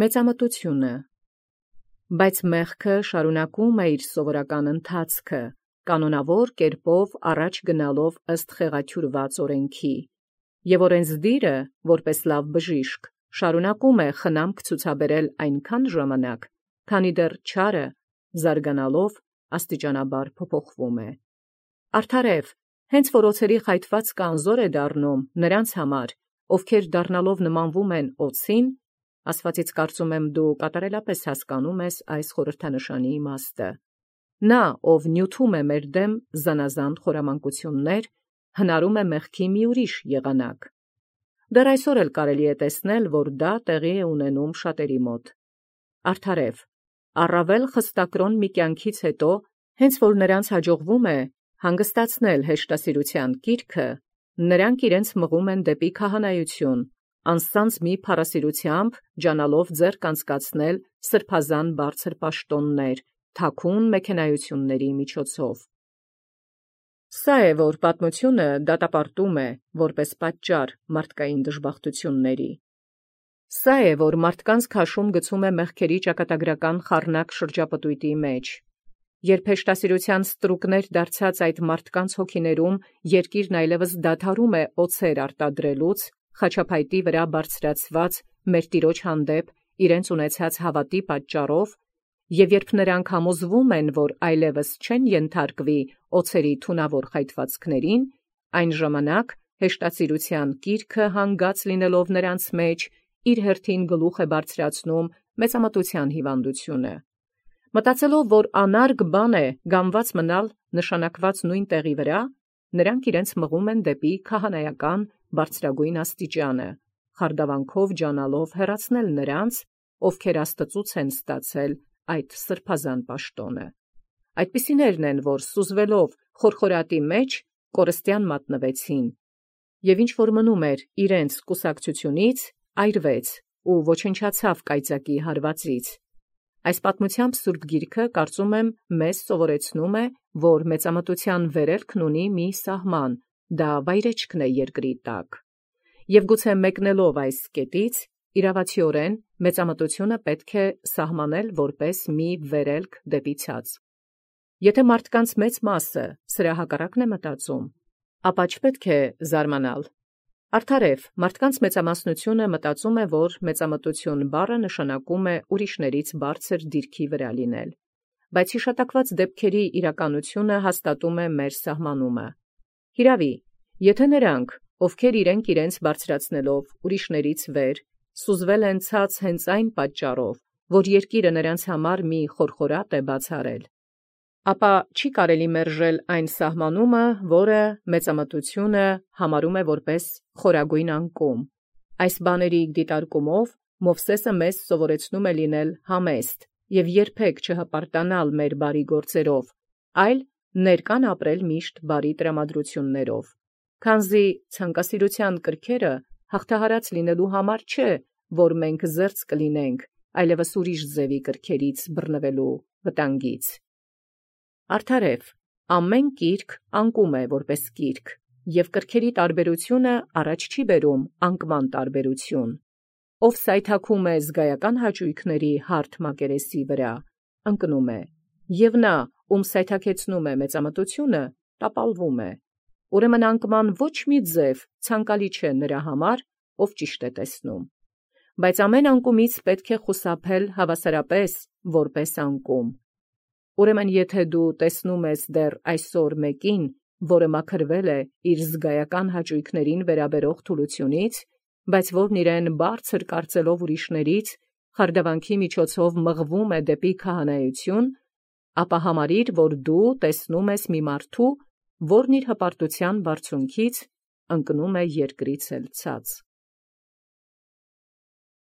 Մեծամտությունը։ Բայց մեղքը շարունակում է իր սովորական ընթացքը, կանոնավոր կերպով առաջ գնալով ըստ խեղաթյուրված օրենքի, և օրենսդիրը, որպես լավ բժիշկ, շարունակում է խնամք ցուցաբերել այնքան ժամանակ, քանի դեռ չարը, զարգանալով, աստիճանաբար փոփոխվում է։ Արդարև, հենց որ օձերի խայթվածքը անզոր է դառնում նրանց համար, ովքեր դառնալով նմանվում են օձին, Աստուածից կարծում եմ դու կատարելապես հասկանում ես այս խորհրդանշանի իմաստը։ Նա, ով նյութում է մեր դեմ զանազան խորամանկություններ, հնարում է մեղքի մի ուրիշ եղանակ։ Դեռ այսօր էլ կարելի է տեսնել, որ դա տեղի է ունենում շատերի մոտ։ Արդարև, առավել խստակրոն մի կյանքից հետո, հենց որ նրանց հաջողվում է հանգստացնել հեշտասիրության կիրքը, նրանք իրենց մղում են դեպի քահանայություն, անսանձ մի փառասիրությամբ ջանալով ձեռք անցկացնել սրբազան բարձր պաշտոններ, թաքուն մեքենայությունների միջոցով։ Սա է, որ պատմությունը դատապարտում է, որպես պատճառ մարդկային դժբախտությունների։ Սա է, որ մարդկանց քաշում գցում է մեղքերի ճակատագրական խառնակ շրջապտույտի մեջ։ Երբ հեշտասիրության ստրուկներ դարձած այդ մարդկանց հոգիներում երկիրն այլևս դադարում է օձեր արտադրելուց, խաչափայտի վրա բարձրացված մեր Տիրոջ հանդեպ իրենց ունեցած հավատի պատճառով, և երբ նրանք համոզվում են, որ այլևս չեն ենթարկվի օձերի թունավոր խայթվածքներին, այն ժամանակ հեշտասիրության կիրքը հանգած լինելով նրանց մեջ, իր հերթին գլուխ է բարձրացնում մեծամտության հիվանդությունը։ Մտածելով, որ անարգ բան է գամված մնալ նշանակված նույն տեղի վրա, նրանք իրենց մղում են դեպի քահանայական բարձրագույն աստիճանը, խարդավանքով ջանալով հեռացնել նրանց, ովքեր Աստծուց են ստացել այդ սրբազան պաշտոնը։ Այդպիսիներն են, որ սուզվելով խորխորատի մեջ կորստյան մատնվեցին, և ինչ որ մնում էր իրենց կուսակցությունից, այրվեց ու ոչնչացավ կայծակի հարվածից։ Այս պատմությամբ Սուրբ Գիրքը, կարծում եմ, մեզ սովորեցնում է, որ մեծամտության վերելքն ունի մի սահման, դա վայրեջքն է երկրի տակ։ Եվ գուցե մեկնելով այս կետից, իրավացիորեն մեծամտությունը պետք է սահմանել որպես մի վերելք դեպի ցած։ Եթե մարդկանց մեծ մասը սրա հակառակն է մտածում, ապա չպետք է զարմանալ։ Արդարև, մարդկանց մեծամասնությունը մտածում է, որ մեծամտություն բառը նշանակում է ուրիշներից բարձր դիրքի վրա լինել, բայց հիշատակված դեպքերի իրականությունը հաստատում է մեր սահմանումը։ Հիրավի, եթե նրանք, ովքեր իրենց բարձրացնելով ուրիշներից վեր, սուզվել են ցած հենց այն պատճառով, որ երկիրը նրանց համար մի խորխորատ է բացառել, ապա չի կարելի մերժել այն սահմանումը, որը մեծամտությունը համարում է որպես խորագույն անկում։ Այս բաների դիտարկումով Մովսեսը մեզ սովորեցնում է լինել համեստ և երբեք չհպարտանալ մեր բարի գործերով, այլ ներկան ապրել միշտ բարի տրամադրություններով։ Քանզի ցանկասիրության կրքերը հաղթահարած լինելու համար չէ, որ մենք զերծ կլինենք այլևս ուրիշ ձևի կրքերից բռնվելու վտանգից։ Արդարև, ամեն կիրք անկում է որպես կիրք, և կրքերի տարբերությունը առաջ չի բերում անկման տարբերություն։ Ով սայթաքում է զգայական հաճույքների հարթ մակերեսի վրա, ընկնում է, և նա, ում սայթաքեցնում է մեծամտությունը, տապալվում է։ Ուրեմն անկման ոչ մի ձև ցանկալի չէ նրա համար, ով ճիշտ է տեսնում։ Բայց ամեն անկումից պետք է խուսափել հավասարապես որպես անկում։ Ուրեմն եթե դու տեսնում ես դեռ այսօր մեկին, որը մաքրվել է իր զգայական հաճույքներին վերաբերող թուլությունից, բայց որն իրեն բարձր կարծելով ուրիշներից, խարդավանքի միջոցով մղվում է դեպի քահանայություն, ապա համարիր, որ դու տեսնում ես մի մարդու, որն իր հպարտության բարձունքից ընկնում է երկրից էլ ցած։